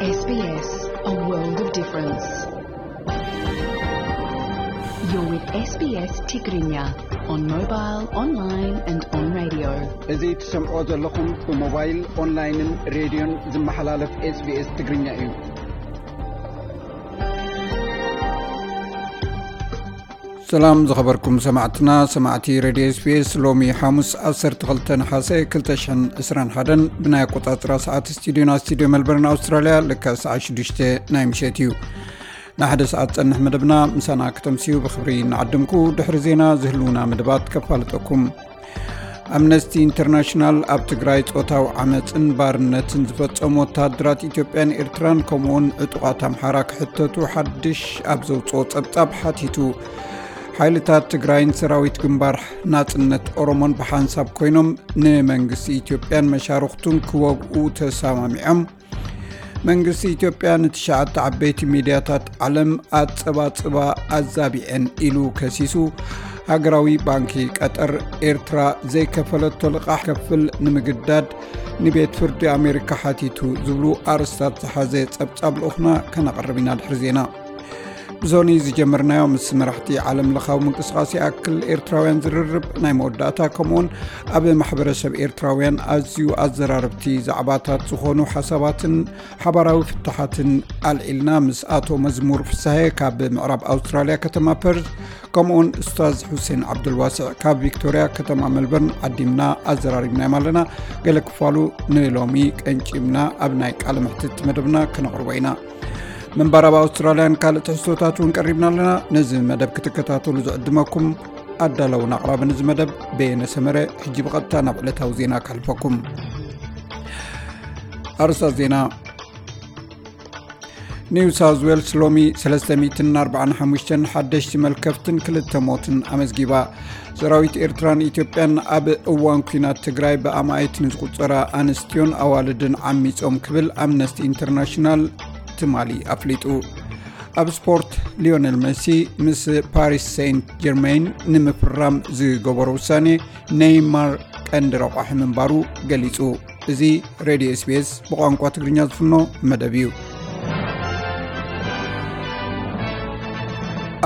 S B S, a world of difference. You're with S B S Tigrinya on mobile, online and on radio. እዚ ትሰምዖ ዘለኹም ብሞባይል፣ ኦንላይንን ሬድዮን ዝመሓላለፍ SBS ትግርኛ እዩ። ሰላም ዝኸበርኩም ሰማዕትና፣ ሰማዕቲ ሬድዮ SBS። ሎሚ ሓሙስ ዓሰርተ ክልተ ነሓሰ ክልተ ሽሕን ዕስራን ሓደን ብናይ ኣቆጻጽራ ሰዓት ስቱዲዮና፣ ስቱዲዮ ሜልበርን ኣውስትራልያ፣ ልክዕ ሰዓት ሽዱሽተ ናይ ምሸት እዩ። ንሓደ ሰዓት ጸንሕ መደብና ምሳና ክተምስዩ ብኽብሪ እናዓደምኩ፣ ድሕሪ ዜና ዝህልውና መደባት ከፋልጠኩም። ኣምነስቲ ኢንተርናሽናል ኣብ ትግራይ ጾታዊ ዓመጽን ባርነትን ዝፈጸሙ ወተሃደራት ኢትዮጵያን ኤርትራን ከምኡውን ዕጡቓት ኣምሓራ ክሕተቱ ሓድሽ ኣብ ዘውጽኦ ጸብጻብ ሓቲቱ። ሓይልታት ትግራይን ሰራዊት ግንባር ናጽነት ኦሮሞን ብሓንሳብ ኮይኖም ንመንግስቲ ኢትዮጵያን መሻርኽቱን ክወግኡ ተሰማሚዖም። መንግስቲ ኢትዮጵያ ንትሽዓተ ዓበይቲ ሚድያታት ዓለም ኣጸባጽባ ኣዛቢዐን ኢሉ ከሲሱ። ሃገራዊ ባንኪ ቀጠር፣ ኤርትራ ዘይከፈለቶ ልቓሕ ከፍል ንምግዳድ ንቤት ፍርዲ ኣሜሪካ ሓቲቱ ዝብሉ ኣርእስታት ዝሓዘ ጸብጻብ ልኡኽና ከነቕርብ ኢና ድሕሪ ዜና። ብዞኒ ዝጀመርናዮ ምስ መራሕቲ ዓለም ለኻዊ ምንቅስቓስ ይኣክል ኤርትራውያን ዝርርብ ናይ መወዳእታ፣ ከምኡውን ኣብ ማሕበረሰብ ኤርትራውያን ኣዝዩ ኣዘራረብቲ ዛዕባታት ዝኾኑ ሓሳባትን ሓባራዊ ፍታሓትን ኣልዒልና ምስ ኣቶ መዝሙር ፍሳሄ ካብ ምዕራብ ኣውስትራልያ ከተማ ፐርዝ፣ ከምኡውን ኡስታዝ ሑሴን ዓብዱልዋስዕ ካብ ቪክቶርያ ከተማ ሜልበርን ዓዲምና ኣዘራሪብናዮም ኣለና። ገለ ክፋሉ ንሎሚ ቀንጭብና ኣብ ናይ ቃለ መሕትት መደብና ክነቕርቦ ኢና። ምንባር ኣብ ኣውስትራልያን ካልእ ትሕዝቶታት እውን ቀሪብና ኣለና። ነዚ መደብ ክትከታተሉ ዝዕድመኩም ኣዳለውን ኣቕራብን እዚ መደብ በየነ ሰመረ። ሕጂ ብቐጥታ ናብ ዕለታዊ ዜና ከሕልፈኩም። ኣርእስታት ዜና። ኒው ሳውዝ ዌልስ ሎሚ ሰለስተ ሚእትን ኣርባዓን ሓሙሽተን ሓደሽቲ መልከፍትን ክልተ ሞትን ኣመዝጊባ። ሰራዊት ኤርትራን ኢትዮጵያን ኣብ እዋን ኲናት ትግራይ ብኣማኢት ንዝቑጸራ ኣንስትዮን ኣዋልድን ዓሚጾም ክብል ኣምነስቲ ኢንተርናሽናል ትማሊ ኣፍሊጡ። ኣብ ስፖርት፣ ሊዮነል መሲ ምስ ፓሪስ ሴንት ጀርሜን ንምፍራም ዝገበሮ ውሳኔ ኔይማር ቀንዲ ረቋሒ ምንባሩ ገሊጹ። እዚ ሬድዮ SBS ብቋንቋ ትግርኛ ዝፍኖ መደብ እዩ።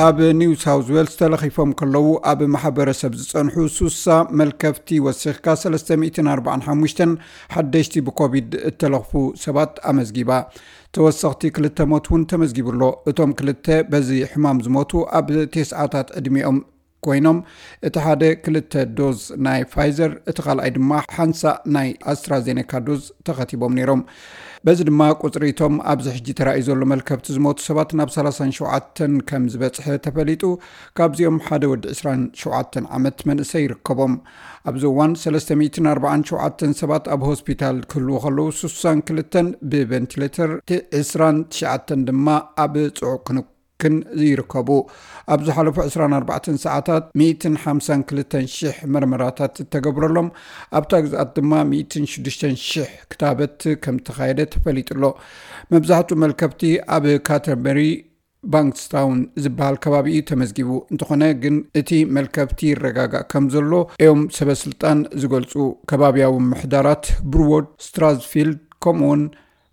ኣብ ኒው ሳውዝ ዌልስ ተለኺፎም ከለዉ ኣብ ማሕበረሰብ ዝጸንሑ ሱሳ መልከፍቲ ወሲኽካ ሰለስተ ሚእትን ኣርባዓን ሓሙሽተን ሓደሽቲ ብኮቪድ እተለኽፉ ሰባት ኣመዝጊባ። ተወሰኽቲ ክልተ ሞት እውን ተመዝጊቡ ኣሎ። እቶም ክልተ በዚ ሕማም ዝሞቱ ኣብ ቴስዓታት ዕድሚኦም ኮይኖም፣ እቲ ሓደ ክልተ ዶዝ ናይ ፋይዘር፣ እቲ ካልኣይ ድማ ሓንሳእ ናይ ኣስትራዜኔካ ዶዝ ተኸቲቦም ነይሮም። በዚ ድማ ቁጽሪ እቶም ኣብዚ ሕጂ ተራእዩ ዘሎ መልከፍቲ ዝሞቱ ሰባት ናብ ሰላሳን ሸውዓተን ከም ዝበጽሐ ተፈሊጡ። ካብዚኦም ሓደ ወዲ ዕስራን ሸውዓተን ዓመት መንእሰይ ይርከቦም። ኣብዚ እዋን ሰለስተ ሚእትን ኣርባዓን ሸውዓተን ሰባት ኣብ ሆስፒታል ክህልዉ ከለዉ፣ ስሳን ክልተን ብቨንቲሌተር፣ ዕስራን ትሽዓተን ድማ ኣብ ጽዑቕ ክንክን ይርከቡ። ኣብ ዝሓለፉ ዕስራን ኣርባዕተን ሰዓታት ሚእትን ሓምሳን ክልተን ሽሕ መርመራታት እተገብረሎም፣ ኣብታ ግዝኣት ድማ ሚእትን ሽዱሽተን ሽሕ ክታበት ከም እተኻየደ ተፈሊጡ ኣሎ። መብዛሕትኡ መልከፍቲ ኣብ ካተርበሪ ባንክስታውን ዝበሃል ከባቢ እዩ ተመዝጊቡ። እንተኾነ ግን እቲ መልከፍቲ ይረጋጋእ ከም ዘሎ እዮም ሰበ ስልጣን ዝገልጹ። ከባብያዊ ምምሕዳራት ብሩዎድ፣ ስትራዝፊልድ ከምኡውን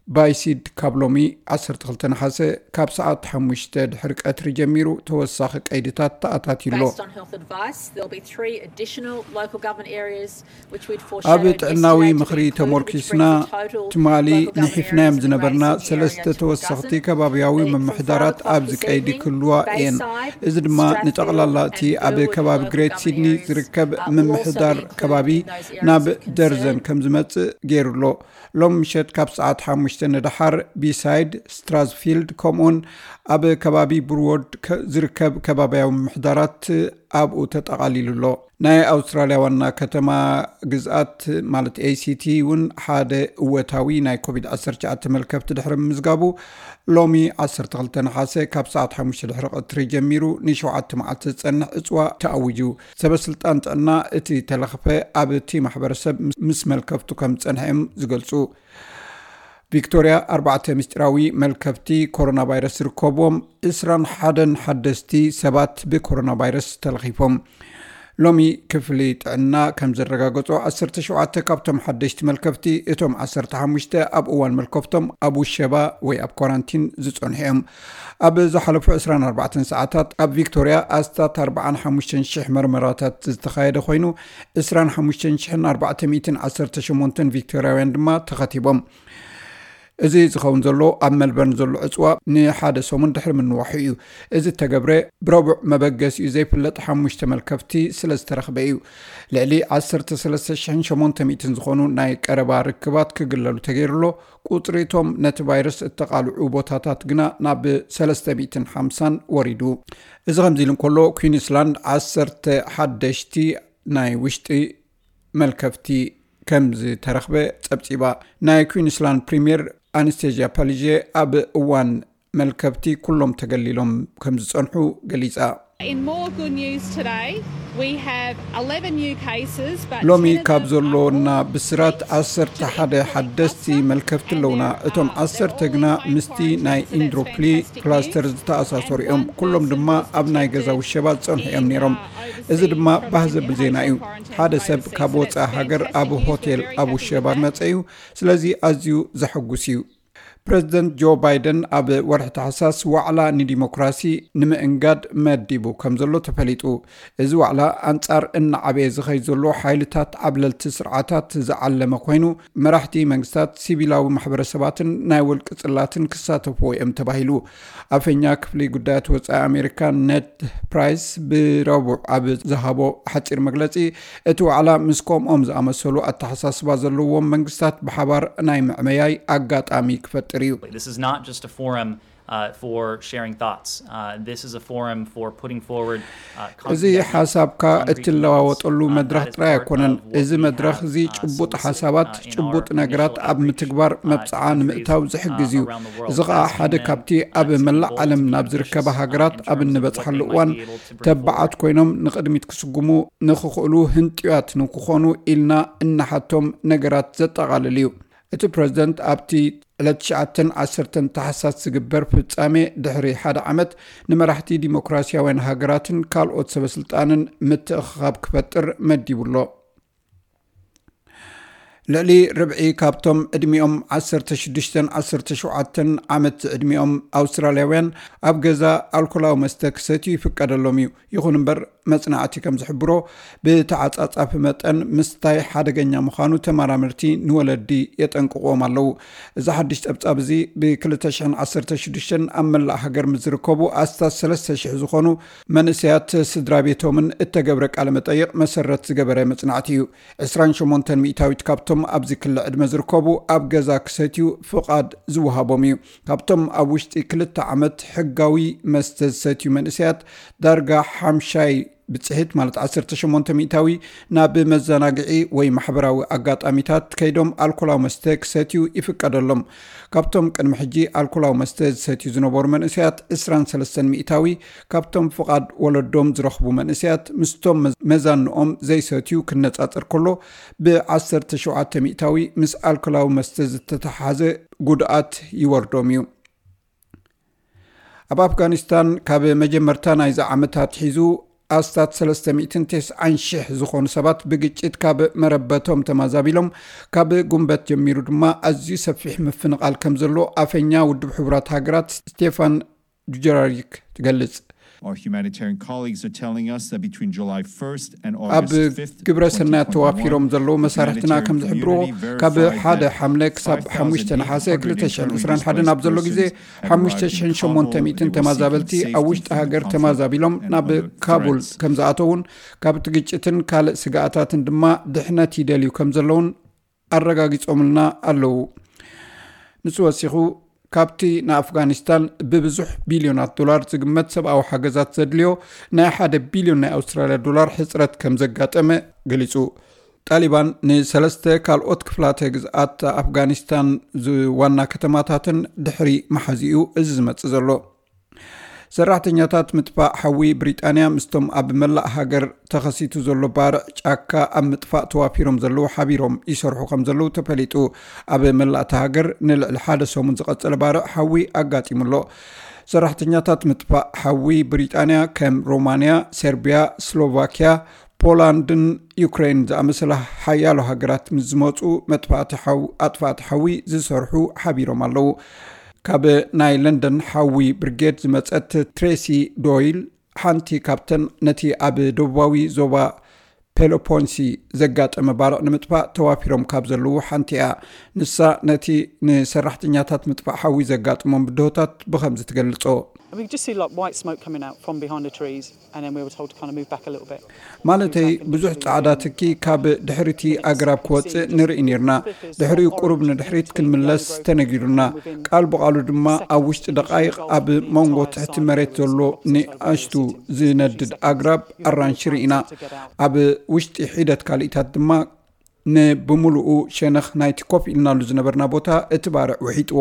ባይሲድ ካብ ሎሚ ዓሰርተ ክልተ ነሓሰ ካብ ሰዓት ሓሙሽተ ድሕሪ ቀትሪ ጀሚሩ ተወሳኺ ቀይድታት ተኣታትዩ ኣሎ። Based on health advice, there'll be three additional local government areas which we'd ኣብ foreshadowed ጥዕናዊ yesterday to ምኽሪ include, which brings ተሞርኪስና the total ትማሊ local government ንሒፍናዮም areas ዝነበርና of the area ሰለስተ to a ተወሰኽቲ dozen. ከባብያዊ ምምሕዳራት ኣብዚ ቀይዲ ክህልዋ እየን። እዚ ድማ ንጠቕላላ እቲ ኣብ ከባቢ ግሬት ሲድኒ ዝርከብ ምምሕዳር ከባቢ ናብ ደርዘን ከም ዝመጽእ ገይሩ ኣሎ። ሎም ምሸት ካብ ሰዓት ሓሙሽተ ንደሓር ቢሳይድ፣ ስትራዝፊልድ ከምኡውን ኣብ ከባቢ ብሩዎድ ዝርከብ ከባብያዊ ምምሕዳራት ኣብኡ ተጠቓሊሉ ኣሎ። ናይ ኣውስትራልያ ዋና ከተማ ግዝኣት ማለት ACT እውን ሓደ እወታዊ ናይ ኮቪድ ዓሰርተ ትሽዓተ መልከፍቲ ድሕሪ ምምዝጋቡ፣ ሎሚ ዓሰርተ ክልተ ነሓሰ ካብ ሰዓት ሓሙሽተ ድሕሪ ቀትሪ ጀሚሩ ንሸውዓተ መዓልቲ ዝጸንሕ ዕጽዋ ተኣዊጁ። ሰበ ስልጣን ጥዕና እቲ ተለኽፈ ኣብቲ ማሕበረሰብ ምስ መልከፍቱ ከም ዝጸንሐ እዮም ዝገልጹ። ቪክቶርያ ኣርባዕተ ምስጢራዊ መልከፍቲ ኮሮና ቫይረስ ዝርከብዎም ዕስራን ሓደን ሓደስቲ ሰባት ብኮሮና ቫይረስ ተለኺፎም። ሎሚ ክፍሊ ጥዕና ከም ዘረጋገጾ፣ ዓሰርተ ሸውዓተ ካብቶም ሓደሽቲ መልከፍቲ፣ እቶም ዓሰርተ ሓሙሽተ ኣብ እዋን መልከፍቶም ኣብ ውሸባ ወይ ኣብ ኳራንቲን ዝጸንሑ እዮም። ኣብ ዝሓለፉ ዕስራን ኣርባዕተን ሰዓታት ኣብ ቪክቶርያ ኣስታት ኣርባዓን ሓሙሽተን ሽሕ መርመራታት ዝተኻየደ ኮይኑ፣ ዕስራን ሓሙሽተን ሽሕን ኣርባዕተ ሚእትን ዓሰርተ ሸሞንተን ቪክቶርያውያን ድማ ተኸቲቦም። እዚ ዝኸውን ዘሎ ኣብ መልበርን ዘሎ ዕፅዋ ንሓደ ሰሙን ድሕሪ ምንዋሑ እዩ። እዚ ተገብረ ብረቡዕ መበገሲኡ ዘይፍለጥ ሓሙሽተ መልከፍቲ ስለ ዝተረኽበ እዩ። ልዕሊ ዓሰርተ ሰለስተ ሽሕን ሸሞንተ ሚእትን ዝኾኑ ናይ ቀረባ ርክባት ክግለሉ ተገይሩሎ። ቁፅሪ እቶም ነቲ ቫይረስ እተቓልዑ ቦታታት ግና ናብ ሰለስተ ሚእትን ሓምሳን ወሪዱ። እዚ ከምዚ ኢሉ እንከሎ፣ ኩዊንስላንድ ዓሰርተ ሓደሽቲ ናይ ውሽጢ መልከፍቲ ከም ዝተረኽበ ጸብጺባ። ናይ ኩዊንስላንድ ፕሪምየር ኣነስቴዥያ ፓሊዤ ኣብ እዋን መልከፍቲ ኩሎም ተገሊሎም ከም ዝጸንሑ ገሊጻ። In more good news today, we have eleven new cases, but ሎሚ ካብ ዘሎና ብስራት ዓሰርተ ሓደ ሓደስቲ መልከፍቲ ኣለውና። እቶም ዓሰርተ ግና ምስቲ ናይ ኢንድሮፕሊ ክላስተር ዝተኣሳሰሩ እዮም። ኩሎም ድማ ኣብ ናይ ገዛ ውሸባ ዝጸንሑ እዮም ነይሮም። እዚ ድማ ባህ ዘብል ዜና እዩ። ሓደ ሰብ ካብ ወጻኢ ሃገር ኣብ ሆቴል ኣብ ውሸባ መጸ እዩ። ስለዚ ኣዝዩ ዘሐጉስ እዩ። ፕረዚደንት ጆ ባይደን ኣብ ወርሒ ታሕሳስ ዋዕላ ንዲሞክራሲ ንምእንጋድ መዲቡ ከም ዘሎ ተፈሊጡ። እዚ ዋዕላ ኣንጻር እናዓበየ ዝኸይ ዘሎ ሓይልታት ዓብለልቲ ስርዓታት ዝዓለመ ኮይኑ፣ መራሕቲ መንግስታት፣ ሲቪላዊ ማሕበረሰባትን ናይ ውልቂ ጽላትን ክሳተፍዎ እዮም ተባሂሉ። ኣፈኛ ክፍሊ ጉዳያት ወጻኢ ኣሜሪካ ነድ ፕራይስ ብረቡዕ ኣብ ዝሃቦ ሓጺር መግለጺ፣ እቲ ዋዕላ ምስ ከምኦም ዝኣመሰሉ ኣተሓሳስባ ዘለዎም መንግስታት ብሓባር ናይ ምዕመያይ ኣጋጣሚ ክፈጥር እዩ። This is not just a forum, uh, for sharing thoughts. Uh, this is a forum for putting forward, uh, እዚ ሓሳብካ እትለዋወጠሉ መድረኽ ጥራይ ኣይኮነን። እዚ መድረኽ እዚ ጭቡጥ ሓሳባት፣ ጭቡጥ ነገራት ኣብ ምትግባር መብጽዓ ንምእታው ዝሕግዝ እዩ። እዚ ኸኣ ሓደ ካብቲ ኣብ መላእ ዓለም ናብ ዝርከባ ሃገራት ኣብ እንበጽሓሉ እዋን ተባዓት ኮይኖም ንቕድሚት ክስጉሙ ንኽኽእሉ ህንጥያት ንክኾኑ ኢልና እናሓቶም ነገራት ዘጠቓልል እዩ። እቲ ፕረዚደንት ኣብቲ ዕለት ትሽዓተን ዓሰርተን ታሕሳስ ዝግበር ፍጻሜ ድሕሪ ሓደ ዓመት ንመራሕቲ ዲሞክራሲያውያን ሃገራትን ካልኦት ሰበስልጣንን ምትእኽኻብ ክፈጥር መዲቡ ኣሎ። ልዕሊ ርብዒ ካብቶም ዕድሚኦም ዓሰርተ ሽዱሽተን ዓሰርተ ሸውዓተን ዓመት ዝዕድሚኦም ኣውስትራልያውያን ኣብ ገዛ ኣልኮላዊ መስተ ክሰትዩ ይፍቀደሎም እዩ። ይኹን እምበር፣ መጽናዕቲ ከም ዝሕብሮ፣ ብተዓጻጻፊ መጠን ምስታይ ሓደገኛ ምዃኑ ተመራመርቲ ንወለዲ የጠንቅቕዎም ኣለዉ። እዚ ሓድሽ ጸብጻብ እዚ ብ ክልተ ሽሕን ዓሰርተ ሽዱሽተን ኣብ መላእ ሃገር ምስ ዝርከቡ ኣስታት ሰለስተ ሽሕ ዝኾኑ መንእሰያት ስድራ ቤቶምን እተገብረ ቃለ መጠይቕ መሰረት ዝገበረ መጽናዕቲ እዩ። ዕስራን ሸሞንተን ሚእታዊት ካብቶም ኣብዚ ክሊ ዕድመ ዝርከቡ ኣብ ገዛ ክሰትዩ ፍቓድ ዝወሃቦም እዩ። ካብቶም ኣብ ውሽጢ ክልተ ዓመት ሕጋዊ መስተ ዝሰትዩ መንእሰያት ዳርጋ ሓምሻይ ብጽሒት፣ ማለት ዓሰርተ ሸሞንተ ሚእታዊ፣ ናብ መዘናግዒ ወይ ማሕበራዊ ኣጋጣሚታት ከይዶም ኣልኮላዊ መስተ ክሰትዩ ይፍቀደሎም። ካብቶም ቅድሚ ሕጂ ኣልኮላዊ መስተ ዝሰትዩ ዝነበሩ መንእሰያት፣ ዕስራን ሰለስተን ሚእታዊ ካብቶም ፍቓድ ወለዶም ዝረኽቡ መንእሰያት ምስቶም መዝ-፣ መዛንኦም ዘይሰትዩ ክነጻጸር ከሎ፣ ብዓሰርተ ሸውዓተ ሚእታዊ ምስ ኣልኮላዊ መስተ ዝተተሓሓዘ ጉድኣት ይወርዶም እዩ። ኣብ ኣፍጋኒስታን ካብ መጀመርታ ናይዚ ዓመት ኣትሒዙ ኣስታት ሰለስተ ሚእትን ተስዓን ሽሕ ዝኾኑ ሰባት ብግጭት ካብ መረበቶም ተማዛቢሎም፣ ካብ ጉንበት ጀሚሩ ድማ ኣዝዩ ሰፊሕ ምፍንቓል ከም ዘሎ ኣፈኛ ውድብ ሕቡራት ሃገራት ስቴፋን ዱጀራሪክ ትገልጽ። Our humanitarian colleagues are telling us that between July first and ኣብ August fifth, ግብረ ሰናይ ተዋፊሮም ዘለዉ መሳርሕትና ከም ዝሕብርዎ፣ ካብ ሓደ ሓምለ ክሳብ ሓሙሽተ ነሓሰ ክልተ ሽሕን ዕስራን ሓደን ኣብ ዘሎ ግዜ ሓሙሽተ ሽሕን ሸሞንተ ሚእትን ተማዛበልቲ ኣብ ውሽጢ ሃገር ተማዛቢሎም ናብ ካቡል ከም ዝኣተውን፣ ካብቲ ግጭትን ካልእ ስግኣታትን ድማ ድሕነት ይደልዩ ከም ዘለውን ኣረጋጊጾምልና ኣለዉ። ንሱ ወሲኹ፣ ካብቲ ንኣፍጋኒስታን ብብዙሕ ቢልዮናት ዶላር ዝግመት ሰብኣዊ ሓገዛት ዘድልዮ ናይ ሓደ ቢልዮን ናይ ኣውስትራልያ ዶላር ሕጽረት ከም ዘጋጠመ ገሊጹ። ጣሊባን ንሰለስተ ካልኦት ክፍላተ ግዝኣት ኣፍጋኒስታን ዝ-፣ ዋና ከተማታትን ድሕሪ መሓዚኡ እዚ ዝመጽእ ዘሎ። ሰራሕተኛታት ምጥፋእ ሓዊ ብሪጣንያ ምስቶም ኣብ መላእ ሃገር ተኸሲቱ ዘሎ ባርዕ ጫካ ኣብ ምጥፋእ ተዋፊሮም ዘለዉ ሓቢሮም ይሰርሑ ከም ዘለዉ ተፈሊጡ። ኣብ መላእ እታ ሃገር ንልዕሊ ሓደ ሰሙን ዝቐጸለ ባርዕ ሓዊ ኣጋጢሙ ኣሎ። ሰራሕተኛታት ምጥፋእ ሓዊ ብሪጣንያ ከም ሮማንያ፣ ሰርቢያ፣ ስሎቫኪያ፣ ፖላንድን ዩክሬን ዝኣመሰላ ሓያሎ ሃገራት ምስ ዝመፁ መጥፋእቲ ሓው ኣጥፋእቲ ሓዊ ዝሰርሑ ሓቢሮም ኣለዉ። ካብ ናይ ለንደን ሓዊ ብርጌድ ዝመፀት ትሬሲ ዶይል ሓንቲ ካብተን ነቲ ኣብ ደቡባዊ ዞባ ፔሎፖንሲ ዘጋጠመ ባርዕ ንምጥፋእ ተዋፊሮም ካብ ዘለዉ ሓንቲ እያ። ንሳ ነቲ ንሰራሕተኛታት ምጥፋእ ሓዊ ዘጋጥሞም ብድሆታት ብኸምዚ ትገልጾ። We just see like white smoke coming out from behind the trees, and then we were told to kind of move back a little bit. ማለተይ ብዙሕ ጻዕዳ ትኪ ካብ ድሕሪቲ ኣግራብ ክወጽእ ንርኢ ነርና። ድሕሪኡ ቁሩብ ንድሕሪት ክንምለስ ተነጊሩና። ቃል ብቓሉ ድማ ኣብ ውሽጢ ደቓይቕ ኣብ መንጎ ትሕቲ መሬት ዘሎ ንኣሽቱ ዝነድድ ኣግራብ ኣራንሺ ርኢና። ኣብ ውሽጢ ሒደት ካልኢታት ድማ ንብምሉኡ ሸነኽ ናይቲ ኮፍ ኢልናሉ ዝነበርና ቦታ እቲ ባርዕ ውሒጥዎ።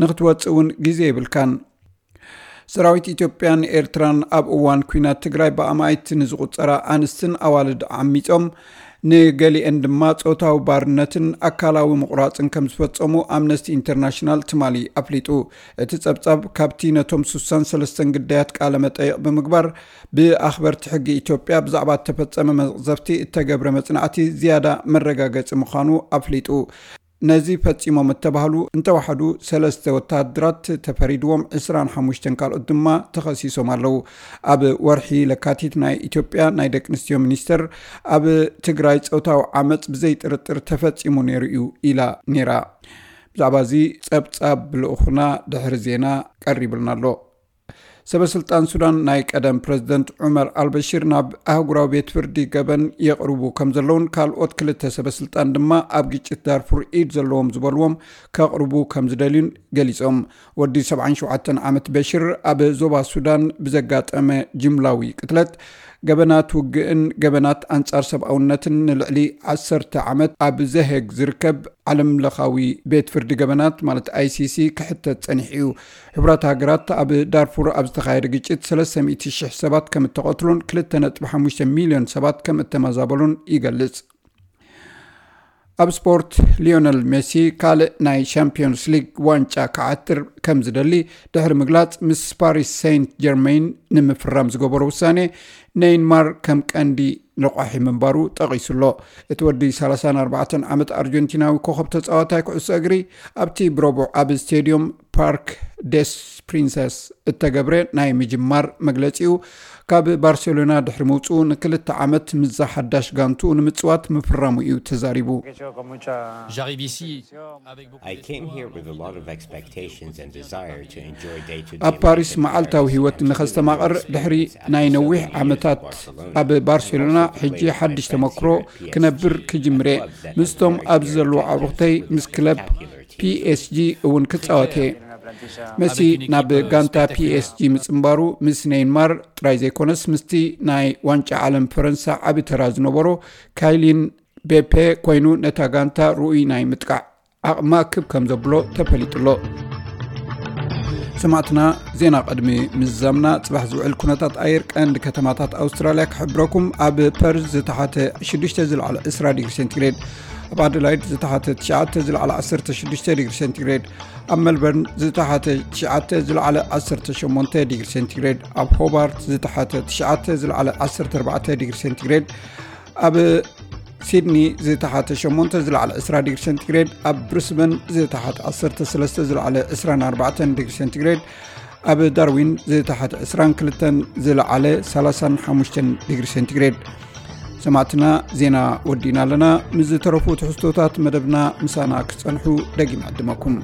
ንክትወጽእ እውን ግዜ የብልካን። ሰራዊት ኢትዮጵያን ኤርትራን ኣብ እዋን ኲናት ትግራይ ብኣማኢት ንዝቑጸራ ኣንስትን ኣዋልድ ዓሚጾም፣ ንገሊአን ድማ ጾታዊ ባርነትን ኣካላዊ ምቑራጽን ከም ዝፈጸሙ ኣምነስቲ ኢንተርናሽናል ትማሊ ኣፍሊጡ። እቲ ጸብጻብ ካብቲ ነቶም ስሳን ሰለስተን ግዳያት ቃለ መጠይቕ ብምግባር ብኣኽበርቲ ሕጊ ኢትዮጵያ ብዛዕባ እተፈጸመ መቕዘፍቲ እተገብረ መጽናዕቲ ዝያዳ መረጋገጺ ምዃኑ ኣፍሊጡ። ነዚ ፈጺሞም እተባህሉ እንተወሓዱ ሰለስተ ወተሃደራት ተፈሪድዎም፣ ዕስራን ሓሙሽተን ካልኦት ድማ ተኸሲሶም ኣለዉ። ኣብ ወርሒ ለካቲት ናይ ኢትዮጵያ ናይ ደቂ ኣንስትዮ ሚኒስተር ኣብ ትግራይ ጾታዊ ዓመጽ ብዘይጥርጥር ተፈጺሙ ነይሩ እዩ ኢላ ነይራ። ብዛዕባ እዚ ጸብጻብ ልኡኹና ድሕሪ ዜና ቀሪብልና ኣሎ። ሰበስልጣን ሱዳን ናይ ቀደም ፕረዚደንት ዑመር ኣልበሽር ናብ ኣህጉራዊ ቤት ፍርዲ ገበን የቕርቡ ከም ዘለውን ካልኦት ክልተ ሰበስልጣን ድማ ኣብ ግጭት ዳርፉር ኢድ ዘለዎም ዝበልዎም ከቕርቡ ከም ዝደልዩን ገሊጾም። ወዲ ሰብዓን ሸውዓተን ዓመት በሽር ኣብ ዞባ ሱዳን ብዘጋጠመ ጅምላዊ ቅትለት፣ ገበናት ውግእን ገበናት ኣንጻር ሰብኣውነትን ንልዕሊ ዓሰርተ ዓመት ኣብ ዘሄግ ዝርከብ ዓለም ለኻዊ ቤት ፍርዲ ገበናት ማለት ኣይሲሲ ክሕተት ጸኒሑ እዩ። ሕቡራት ሃገራት ኣብ ዳርፉር ኣብ ዝተኻየደ ግጭት ሰለስተ ሚእቲ ሽሕ ሰባት ከም እተቐትሉን ክልተ ነጥቢ ሓሙሽተ ሚልዮን ሰባት ከም እተመዛበሉን ይገልጽ። ኣብ ስፖርት፣ ሊዮነል ሜሲ ካልእ ናይ ሻምፒዮንስ ሊግ ዋንጫ ክዓትር ከም ዝደሊ ድሕሪ ምግላጽ፣ ምስ ፓሪስ ሴንት ጀርሜን ንምፍራም ዝገበሮ ውሳኔ ኔይማር ከም ቀንዲ ረቋሒ ምንባሩ ጠቒሱ ኣሎ። እቲ ወዲ ሰላሳን ኣርባዕተን ዓመት ኣርጀንቲናዊ ኮኸብ ተጻዋታይ ኩዕሶ እግሪ ኣብቲ ብረቡዕ ኣብ ስቴድዮም ፓርክ ደስ ፕሪንሰስ እተገብረ ናይ ምጅማር መግለጺኡ፣ ካብ ባርሴሎና ድሕሪ ምውጽኡ ንክልተ ዓመት ምስዛ ሓዳሽ ጋንቱ ንምጽዋት ምፍራሙ እዩ ተዛሪቡ። J'arrive ici avec beaucoup I came here with a lot of expectations and desire to enjoy day to day. ኣብ ፓሪስ መዓልታዊ ህይወት ንኸስተማቕር ድሕሪ ናይ ነዊሕ ዓመታት ኣብ ባርሴሎና፣ ሕጂ ሓድሽ ተመክሮ ክነብር ክጅምር እየ። ምስቶም ኣብዚ ዘለዉ ዓቡኽተይ ምስ ክለብ ፒኤስጂ እውን ክጻወት እየ። መሲ ናብ ጋንታ ፒኤስጂ ምጽንባሩ ምስ ኔይማር ጥራይ ዘይኮነስ ምስቲ ናይ ዋንጫ ዓለም ፈረንሳ ዓቢ ተራ ዝነበሮ ካይሊን ቤፔ ኮይኑ ነታ ጋንታ ርኡይ ናይ ምጥቃዕ ዓቕማ ክብ ከም ዘብሎ ተፈሊጡ ኣሎ። ሰማዕትና፣ ዜና ቅድሚ ምዝዛምና ጽባሕ ዝውዕል ኩነታት ኣየር ቀንዲ ከተማታት ኣውስትራልያ ክሕብረኩም። ኣብ ፐርዝ ዝተሓተ ሽዱሽተ ዝለዓለ ዕስራ ዲግሪ ሴንቲግሬድ፣ ኣብ ኣደላይድ ዝተሓተ ትሽዓተ ዝለዓለ ዓሰርተ ሽዱሽተ ዲግሪ ሴንቲግሬድ፣ ኣብ ሜልበርን ዝተሓተ ትሽዓተ ዝለዓለ ዓሰርተ ሸሞንተ ዲግሪ ሴንቲግሬድ፣ ኣብ ሆባርት ዝተሓተ ትሽዓተ ዝለዓለ ዓሰርተ ኣርባዕተ ዲግሪ ሴንቲግሬድ፣ ኣብ ሲድኒ ዝተሓተ ሸሞንተ ዝለዓለ ዕስራ ዲግሪ ሴንቲግሬድ፣ ኣብ ብሪስበን ዝተሓተ ዓሰርተ ሰለስተ ዝለዓለ ዕስራን ኣርባዕተን ዲግሪ ሴንቲግሬድ፣ ኣብ ዳርዊን ዝተሓተ ዕስራን ክልተን ዝለዓለ ሰላሳን ሓሙሽተን ዲግሪ ሴንቲግሬድ። ሰማዕትና፣ ዜና ወዲእና ኣለና። ምስ ዝተረፉ ትሕዝቶታት መደብና ምሳና ክትጸንሑ ደጊም ዕድመኩም።